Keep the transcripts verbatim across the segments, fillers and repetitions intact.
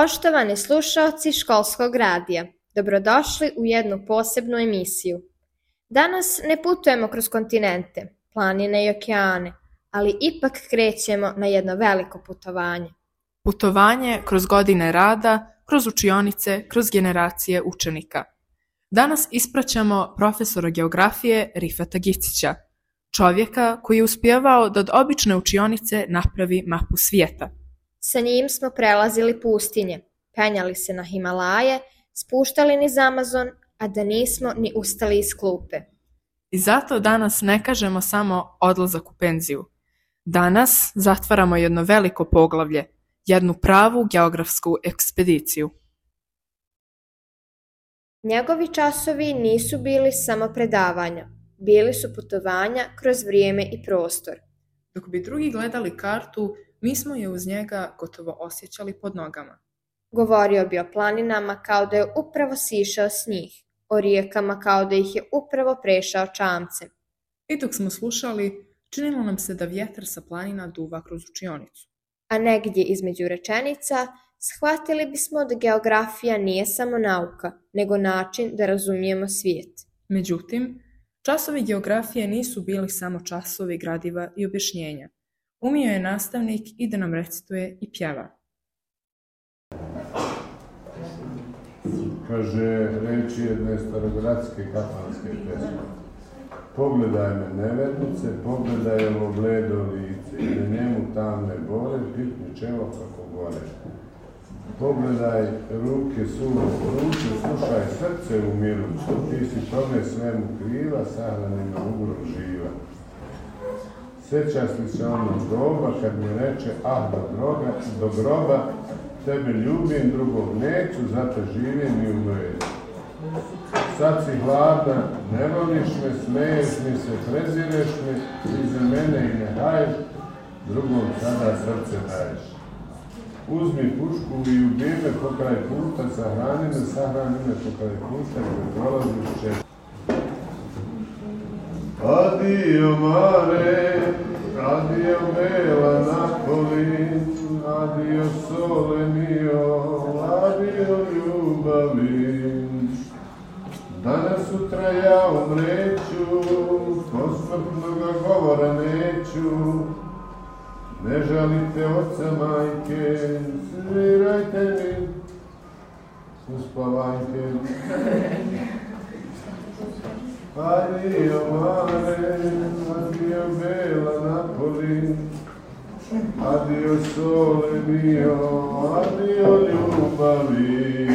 Poštovani slušaoci Školskog radija, dobrodošli u jednu posebnu emisiju. Danas ne putujemo kroz kontinente, planine i okeane, ali ipak krećemo na jedno veliko putovanje. Putovanje kroz godine rada, kroz učionice, kroz generacije učenika. Danas ispraćamo profesora geografije Rifata Gicića, čovjeka koji je uspjevao da od obične učionice napravi mapu svijeta. Sa njim smo prelazili pustinje, penjali se na Himalaje, spuštali niz Amazon, a da nismo ni ustali iz klupe. I zato danas ne kažemo samo odlazak u penziju. Danas zatvaramo jedno veliko poglavlje, jednu pravu geografsku ekspediciju. Njegovi časovi nisu bili samo predavanja, bili su putovanja kroz vrijeme i prostor. Dok bi drugi gledali kartu, mi smo je uz njega gotovo osjećali pod nogama. Govorio bi o planinama kao da je upravo sišao s njih, o rijekama kao da ih je upravo prešao čamcem. I dok smo slušali, činilo nam se da vjetar sa planina duva kroz učionicu. A negdje između rečenica shvatili bismo da geografija nije samo nauka, nego način da razumijemo svijet. Međutim, časovi geografije nisu bili samo časovi gradiva i objašnjenja. Umio je nastavnik i da nam recituje i pjeva. Kaže reči jedne starogradske kafanske pesme. Pogledaj me nevernice, pogledaj ovo bledo lice, i na njemu tamne bore, pipni čelo kako gore. Pogledaj ruke suvo ruke, slušaj srce u miru, što ti si tome svemu kriva, sahrani na ugro živa. Sjećaš li se onog doba kad mi reče, ah do droga, do groba, tebe ljubim, drugog neću, zato živim i umrem. Sad si hladna, ne voliš me, smeješ mi se, prezireš me, iza mene i ne haješ, drugom sada srce daješ. Uzmi pušku i ubij me pokraj puta, sahrani me, sahrani me pokraj puta, gdje prolaziš češće. Adio mare, adio bela Napoli, adio sole mio, adio ljubavi. Danas sutra ja umreću, posmrtnoga govora neću. Ne žalite oca majke, svirajte mi uspavanjke. Adio mare, adio bela Napoli, adio sole mio, adio ljubavi.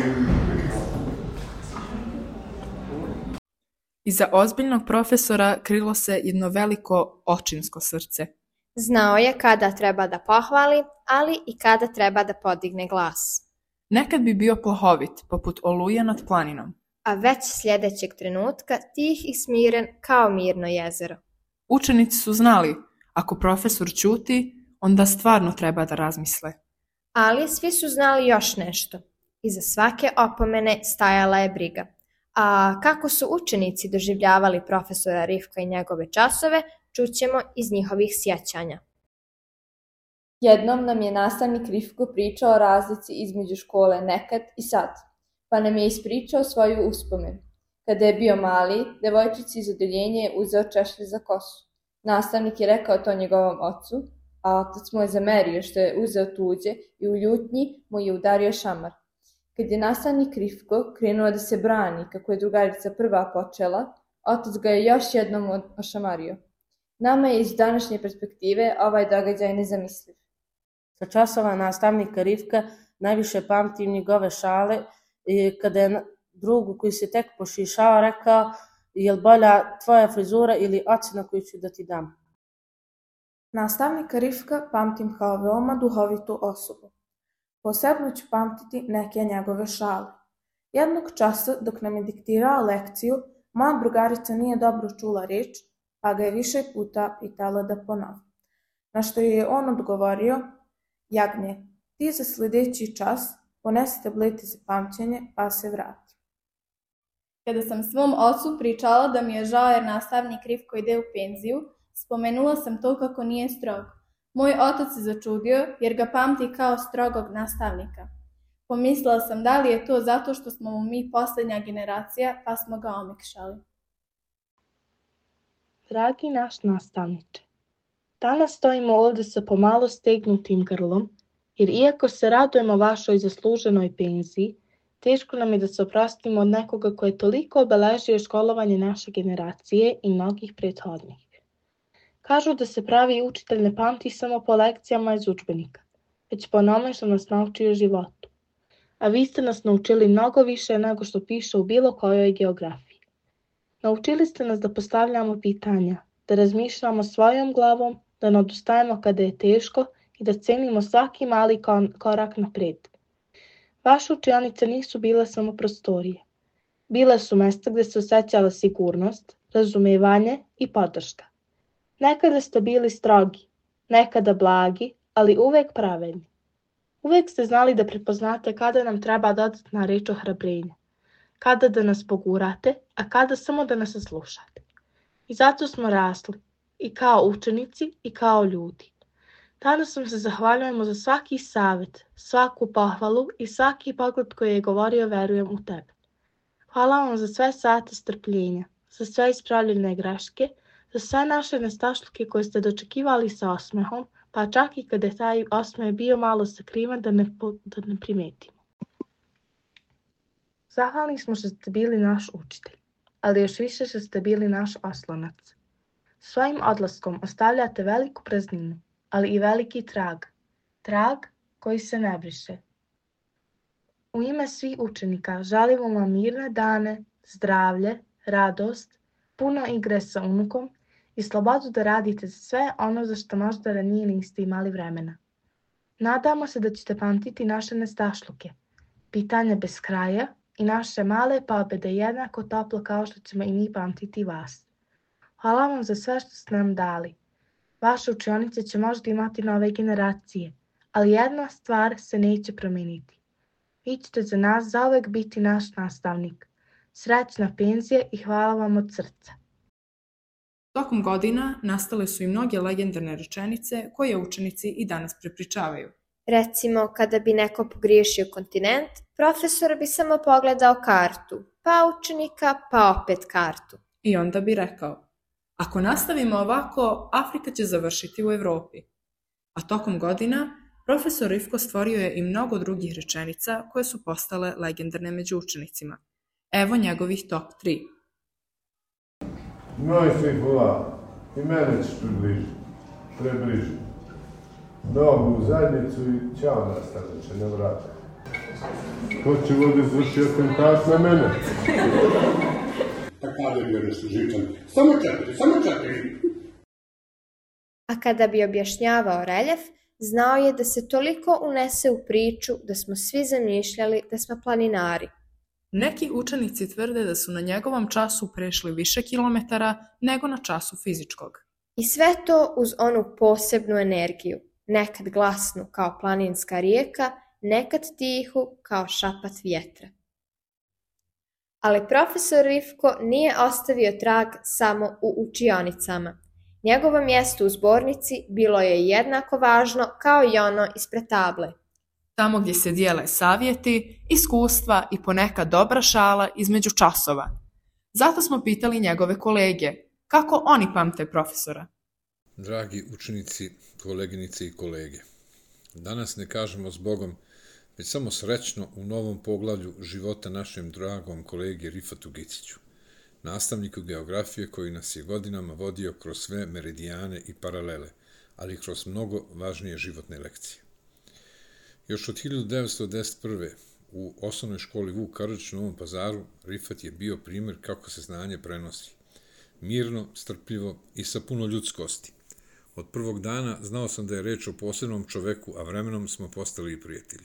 Iza ozbiljnog profesora krilo se jedno veliko očinsko srce. Znao je kada treba da pohvali, ali i kada treba da podigne glas. Nekad bi bio plahovit, poput oluje nad planinom. A već sljedećeg trenutka tih i smiren kao mirno jezero. Učenici su znali, ako profesor ćuti, onda stvarno treba da razmisle. Ali svi su znali još nešto. Iza svake opomene stajala je briga. A kako su učenici doživljavali profesora Rifka i njegove časove, čućemo iz njihovih sjećanja. Jednom nam je nastavnik Rifko pričao o razlici između škole nekad i sad, pa nam je ispričao svoju uspomenu. Kada je bio mali, devojčici iz odeljenja je uzeo češlje za kosu. Nastavnik je rekao to njegovom ocu, a otac mu je zamerio što je uzeo tuđe i u ljutnji mu je udario šamar. Kad je nastavnik Rifko krenuo da se brani kako je drugarica prva počela, otac ga je još jednom ošamario. Nama je iz današnje perspektive ovaj događaj nezamisliv. Sa časova nastavnika Rifka najviše pamtim njegove šale kada je drugu koji se tek pošišao rekao je li bolja tvoja frizura ili ocjena koju ću da ti dam. Nastavnika Rifka pamtim kao veoma duhovitu osobu. Posebno ću pamtiti neke njegove šale. Jednog časa dok nam je diktirao lekciju, moja drugarica nije dobro čula riječ, pa ga je više puta pitala da ponovi. Na što je on odgovorio, Jagnje, ti za sljedeći čas ponesi tablete za pamćenje pa se vrati. Kada sam svom ocu pričala da mi je žao jer nastavnik Rifko ide u penziju, spomenula sam to kako nije strog. Moj otac se začudio jer ga pamti kao strogog nastavnika. Pomislila sam da li je to zato što smo mu mi posljednja generacija, pa smo ga omekšali. Dragi naš nastavniče, danas stojimo ovdje sa pomalo stegnutim grlom, jer iako se radujemo vašoj zasluženoj penziji, teško nam je da se oprostimo od nekoga koji je toliko obeležio školovanje naše generacije i mnogih prethodnih. Kažu da se pravi učitelj ne pamti samo po lekcijama iz udžbenika, već po onome što nas nauči o životu. A vi ste nas naučili mnogo više nego što piše u bilo kojoj geografiji. Naučili ste nas da postavljamo pitanja, da razmišljamo svojom glavom, da ne odustajemo kada je teško i da cenimo svaki mali korak napred. Vaše učionice nisu bile samo prostorije. Bile su mesta gdje se osjećala sigurnost, razumevanje i podrška. Nekada ste bili strogi, nekada blagi, ali uvek pravedni. Uvek ste znali da prepoznate kada nam treba dodatna reč ohrabrenja, kada da nas pogurate, a kada samo da nas saslušate. I zato smo rasli, i kao učenici, i kao ljudi. Danas vam se zahvaljujemo za svaki savjet, svaku pohvalu i svaki pogled koji je govorio verujem u tebe. Hvala vam za sve sate strpljenja, za sve ispravljene greške, za sve naše nestašluke koje ste dočekivali sa osmehom, pa čak i kada je taj osmeh bio malo sakriven da ne, da ne primetimo. Zahvalni smo što ste bili naš učitelj, ali još više što ste bili naš oslonac. Svojim odlaskom ostavljate veliku prazninu, ali i veliki trag, trag koji se ne briše. U ime svih učenika želimo vam mirne dane, zdravlje, radost, puno igre sa unukom i slobodu da radite sve ono za što možda ranije niste imali vremena. Nadamo se da ćete pamtiti naše nestašluke, pitanja bez kraja i naše male pobjede jednako toplo kao što ćemo i mi pamtiti vas. Hvala vam za sve što ste nam dali. Vaše učionice će možda imati nove generacije, ali jedna stvar se neće promijeniti. Vi ćete za nas zauvek biti naš nastavnik. Srećna penzija i hvala vam od srca. Tokom godina nastale su i mnoge legendarne rečenice koje učenici i danas prepričavaju. Recimo, kada bi neko pogriješio kontinent, profesor bi samo pogledao kartu, pa učenika, pa opet kartu. I onda bi rekao: ako nastavimo ovako, Afrika će završiti u Evropi. A tokom godina, profesor Rifko stvorio je i mnogo drugih rečenica koje su postale legendarne među učenicima. Evo njegovih top tri. Moj svi hvala, i mene ćeš približiti, prebližiti. Nogu u zadnjicu i ćao nastavniče, na vrata. Ko će ovdje izvršiti atentat na mene? Pa kada bi gledaš Živčan? Samo četiri, samo četiri. A kada bi objašnjavao reljef, znao je da se toliko unese u priču da smo svi zamišljali da smo planinari. Neki učenici tvrde da su na njegovom času prešli više kilometara nego na času fizičkog. I sve to uz onu posebnu energiju, nekad glasnu kao planinska rijeka, nekad tihu kao šapat vjetra. Ali profesor Rifko nije ostavio trag samo u učionicama. Njegovo mjesto u zbornici bilo je jednako važno kao i ono ispred table. Tamo gdje se dijele savjeti, iskustva i ponekad dobra šala između časova. Zato smo pitali njegove kolege kako oni pamte profesora. Dragi učenici, koleginice i kolege, danas ne kažemo zbogom, već samo srećno u novom poglavlju života našem dragom kolegi Rifatu Giciću, nastavniku geografije koji nas je godinama vodio kroz sve meridijane i paralele, ali i kroz mnogo važnije životne lekcije. Još od hiljadu devetsto devedeset prve. u osnovnoj školi Vuk Karadžić u Novom Pazaru Rifat je bio primjer kako se znanje prenosi. Mirno, strpljivo i sa puno ljudskosti. Od prvog dana znao sam da je reč o posebnom čoveku, a vremenom smo postali i prijatelji.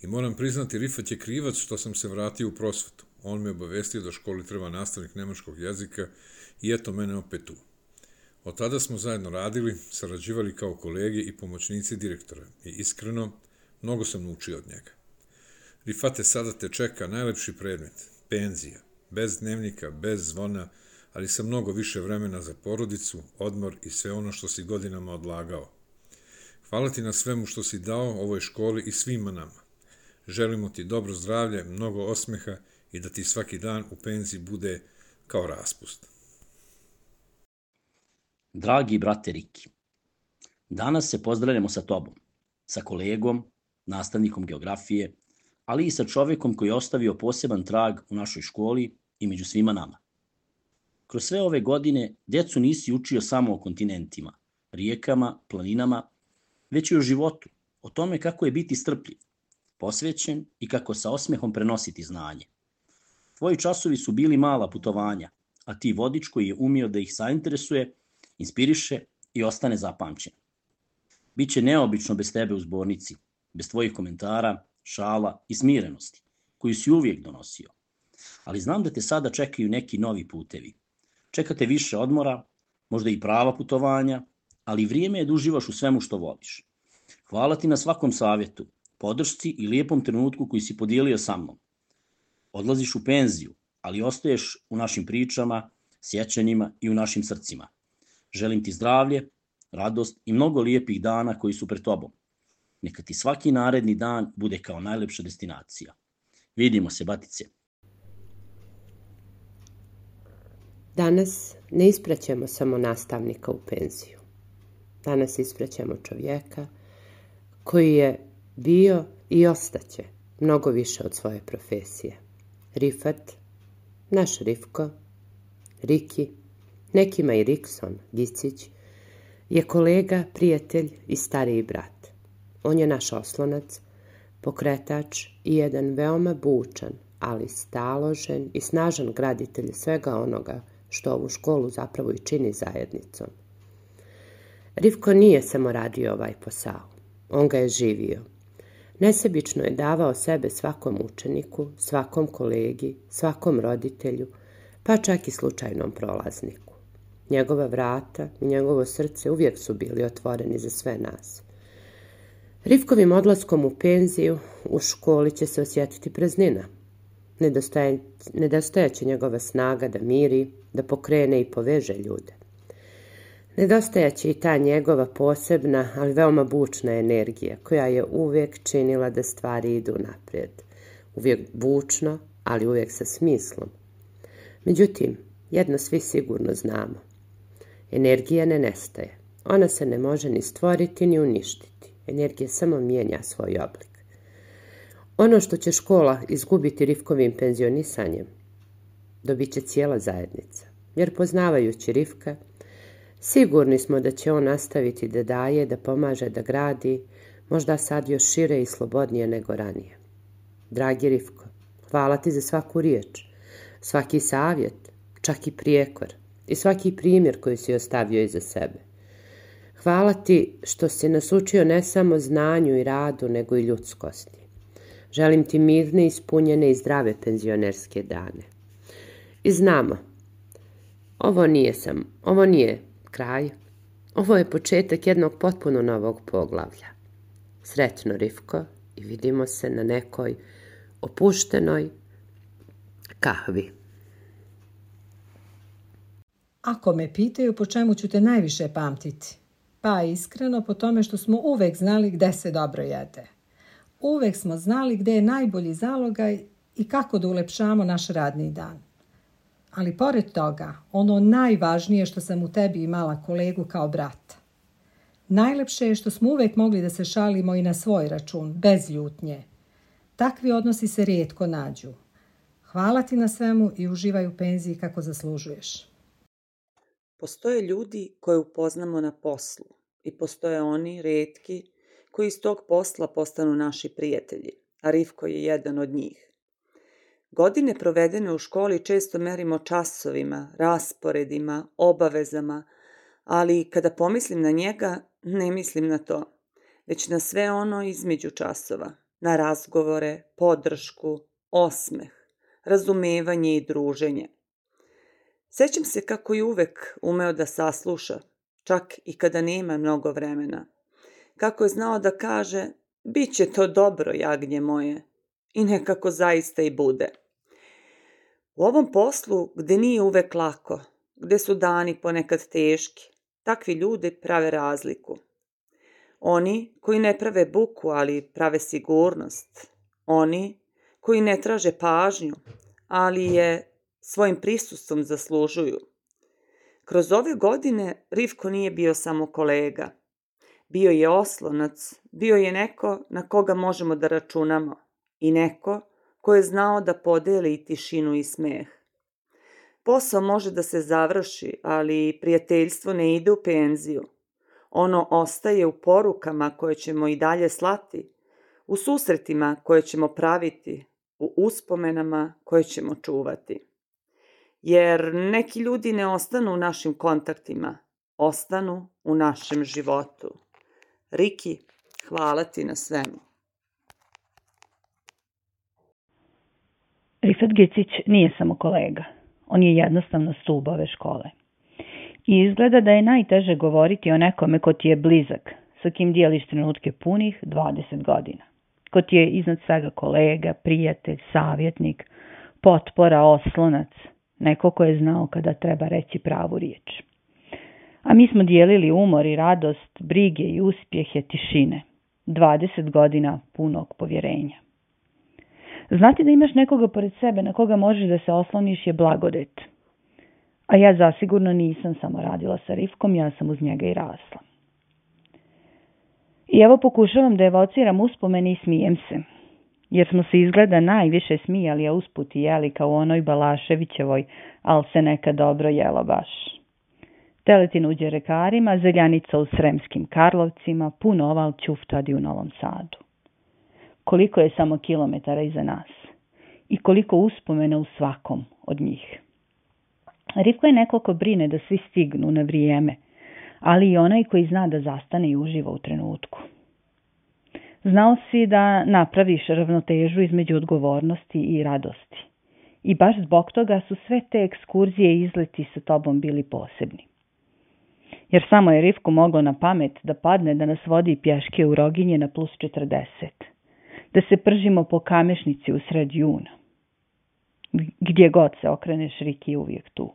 I moram priznati, Rifat je krivac što sam se vratio u prosvetu. On me obavestio da školi treba nastavnik nemačkog jezika i eto mene opet tu. Od tada smo zajedno radili, sarađivali kao kolege i pomoćnici direktora i iskreno, mnogo sam naučio od njega. Rifate, sada te čeka najlepši predmet, penzija, bez dnevnika, bez zvona, ali sa mnogo više vremena za porodicu, odmor i sve ono što si godinama odlagao. Hvala ti na svemu što si dao ovoj školi i svima nama. Želimo ti dobro zdravlje, mnogo osmeha i da ti svaki dan u penziji bude kao raspust. Dragi brate Riki, danas se pozdravljamo sa tobom, sa kolegom, nastavnikom geografije, ali i sa čovjekom koji je ostavio poseban trag u našoj školi i među svima nama. Kroz sve ove godine djecu nisi učio samo o kontinentima, rijekama, planinama, već i o životu, o tome kako je biti strpljiv, posvećen i kako sa osmehom prenositi znanje. Tvoji časovi su bili mala putovanja, a ti vodič koji je umio da ih zainteresuje, inspiriše i ostane zapamćen. Biće neobično bez tebe u zbornici, bez tvojih komentara, šala i smirenosti, koju si uvijek donosio. Ali znam da te sada čekaju neki novi putevi. Čekate više odmora, možda i prava putovanja, ali vrijeme je da uživaš u svemu što voliš. Hvala ti na svakom savjetu, podršci i lijepom trenutku koji si podijelio sa mnom. Odlaziš u penziju, ali ostaješ u našim pričama, sjećanjima i u našim srcima. Želim ti zdravlje, radost i mnogo lijepih dana koji su pred tobom. Neka ti svaki naredni dan bude kao najlepša destinacija. Vidimo se, batice. Danas ne ispraćemo samo nastavnika u penziju. Danas ispraćemo čovjeka koji je bio i ostaće mnogo više od svoje profesije. Rifat, naš Rifko, Riki, nekima i Rikson, Gicić, je kolega, prijatelj i stariji brat. On je naš oslonac, pokretač i jedan veoma bučan, ali staložen i snažan graditelj svega onoga što ovu školu zapravo i čini zajednicom. Rifko nije samo radio ovaj posao, on ga je živio. Nesebično je davao sebe svakom učeniku, svakom kolegi, svakom roditelju, pa čak i slučajnom prolazniku. Njegova vrata i njegovo srce uvijek su bili otvoreni za sve nas. Rifkovim odlaskom u penziju u školi će se osjetiti praznina. Nedostajaće njegova snaga da miri, da pokrene i poveže ljude. Nedostajaće i ta njegova posebna, ali veoma bučna energija, koja je uvijek činila da stvari idu naprijed. Uvijek bučno, ali uvijek sa smislom. Međutim, jedno svi sigurno znamo. Energija ne nestaje. Ona se ne može ni stvoriti ni uništiti. Energija samo mijenja svoj oblik. Ono što će škola izgubiti Rifkovim penzionisanjem, dobit će cijela zajednica. Jer poznavajući Rifka, sigurni smo da će on nastaviti da daje, da pomaže, da gradi, možda sad još šire i slobodnije nego ranije. Dragi Rifko, hvala ti za svaku riječ, svaki savjet, čak i prijekor i svaki primjer koji si ostavio iza sebe. Hvala ti što si nas učio ne samo znanju i radu, nego i ljudskosti. Želim ti mirne, ispunjene i zdrave penzionerske dane. I znamo, ovo nije sam, ovo nije kraj, ovo je početak jednog potpuno novog poglavlja. Sretno, Rifko, i vidimo se na nekoj opuštenoj kahvi. Ako me pitaju po čemu ću te najviše pamtiti, pa iskreno po tome što smo uvek znali gde se dobro jede. Uvek smo znali gde je najbolji zalogaj i kako da ulepšamo naš radni dan. Ali pored toga, ono najvažnije što sam u tebi imala kolegu kao brata. Najlepše je što smo uvek mogli da se šalimo i na svoj račun, bez ljutnje. Takvi odnosi se rijetko nađu. Hvala ti na svemu i uživaj u penziji kako zaslužuješ. Postoje ljudi koje upoznamo na poslu i postoje oni, rijetki, koji iz tog posla postanu naši prijatelji, a Rifko je jedan od njih. Godine provedene u školi često merimo časovima, rasporedima, obavezama, ali kada pomislim na njega, ne mislim na to, već na sve ono između časova, na razgovore, podršku, osmeh, razumevanje i druženje. Sjećam se kako je uvek umeo da sasluša, čak i kada nema mnogo vremena. Kako je znao da kaže, bit će to dobro, jagnje moje, i nekako zaista i bude. U ovom poslu, gde nije uvek lako, gde su dani ponekad teški, takvi ljudi prave razliku. Oni koji ne prave buku, ali prave sigurnost. Oni koji ne traže pažnju, ali je svojim prisustvom zaslužuju. Kroz ove godine Rivko nije bio samo kolega. Bio je oslonac, bio je neko na koga možemo da računamo i neko ko je znao da podeli i tišinu i smeh. Posao može da se završi, ali prijateljstvo ne ide u penziju. Ono ostaje u porukama koje ćemo i dalje slati, u susretima koje ćemo praviti, u uspomenama koje ćemo čuvati. Jer neki ljudi ne ostanu u našim kontaktima, ostanu u našem životu. Riki, hvala ti na svemu. Rifat Gicić nije samo kolega. On je jednostavno stub ove škole. I izgleda da je najteže govoriti o nekome ko ti je blizak, sa kim dijeliš trenutke punih dvadeset godina. Ko ti je iznad svega kolega, prijatelj, savjetnik, potpora, oslonac, neko ko je znao kada treba reći pravu riječ. A mi smo dijelili umor i radost, brige i uspjehe, tišine. dvadeset godina punog povjerenja. Znati da imaš nekoga pored sebe na koga možeš da se osloniš je blagodet. A ja zasigurno nisam samo radila sa Rivkom, ja sam uz njega i rasla. I evo pokušavam da evociram uspomeni i smijem se. Jer smo se izgleda najviše smijali, a usput i jeli kao u onoj Balaševićevoj, al se neka dobro jelo baš. Teletin u Đerekarima, Zeljanica u Sremskim Karlovcima, pun oval ćuftadi u Novom Sadu. Koliko je samo kilometara iza nas i koliko uspomena u svakom od njih. Rivko je neko ko brine da svi stignu na vrijeme, ali i onaj koji zna da zastane i uživa u trenutku. Znao si da napraviš ravnotežu između odgovornosti i radosti. I baš zbog toga su sve te ekskurzije i izleti sa tobom bili posebni. Jer samo je Rivku moglo na pamet da padne da nas vodi pješke u Roginje na plus četrdeset. Da se pržimo po Kamešnici u sred juna. Gdje god se okreneš, Riki je uvijek tu.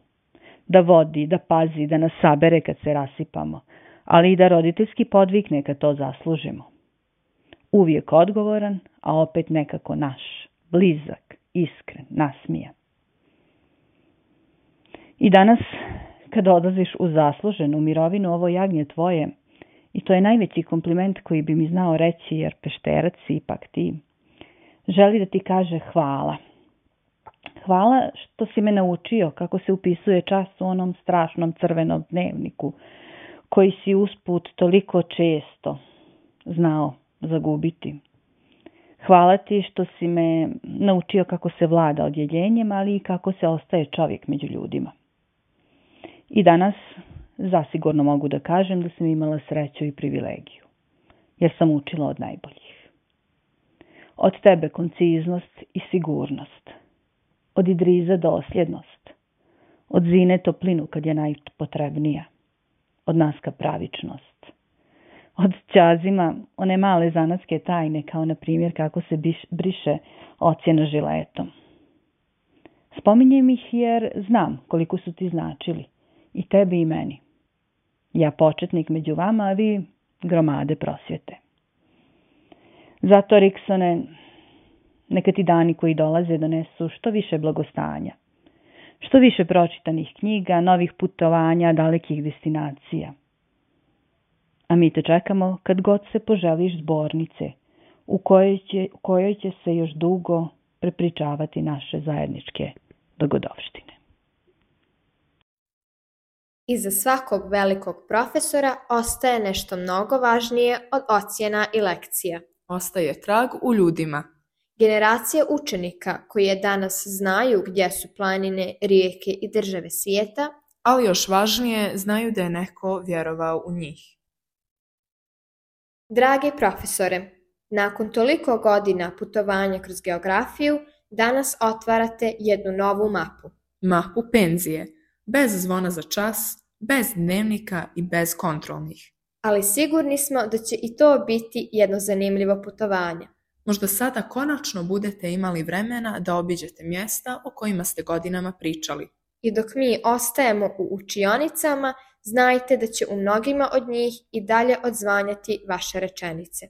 Da vodi, da pazi, da nas sabere kad se rasipamo, ali i da roditeljski podvikne kad to zaslužimo. Uvijek odgovoran, a opet nekako naš, blizak, iskren, nasmijan. I danas, kada odlaziš u zasluženu mirovinu, ovo jagnje tvoje, i to je najveći kompliment koji bi mi znao reći, jer Pešterac si ipak ti, želi da ti kaže hvala. Hvala što si me naučio kako se upisuje čas u onom strašnom crvenom dnevniku, koji si usput toliko često znao zagubiti. Hvala ti što si me naučio kako se vlada odjeljenjem, ali i kako se ostaje čovjek među ljudima. I danas zasigurno mogu da kažem da sam imala sreću i privilegiju, jer sam učila od najboljih. Od tebe konciznost i sigurnost, od Idriza dosljednost, od Zine toplinu kad je najpotrebnija, od Naska pravičnost, od Ćazima one male zanatske tajne, kao na primjer kako se briše ocjena žiletom. Spominjem ih jer znam koliko su ti značili, i tebi i meni. Ja početnik među vama, a vi gromade prosvjete. Zato, Riksone, neka ti dani koji dolaze donesu što više blagostanja, što više pročitanih knjiga, novih putovanja, dalekih destinacija. A mi te čekamo kad god se poželiš zbornice, u kojoj će, u kojoj će se još dugo prepričavati naše zajedničke dogodovštine. Iza svakog velikog profesora ostaje nešto mnogo važnije od ocjena i lekcija. Ostaje trag u ljudima. Generacije učenika koji je danas znaju gdje su planine, rijeke i države svijeta, ali još važnije znaju da je neko vjerovao u njih. Dragi profesore, nakon toliko godina putovanja kroz geografiju, danas otvarate jednu novu mapu. Mapu penzije, bez zvona za čas, bez dnevnika i bez kontrolnih. Ali sigurni smo da će i to biti jedno zanimljivo putovanje. Možda sada konačno budete imali vremena da obiđete mjesta o kojima ste godinama pričali. I dok mi ostajemo u učionicama, znajte da će u mnogima od njih i dalje odzvanjati vaše rečenice.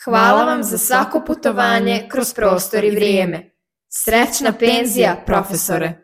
Hvala vam za svako putovanje kroz prostor i vrijeme. Srećna penzija, profesore!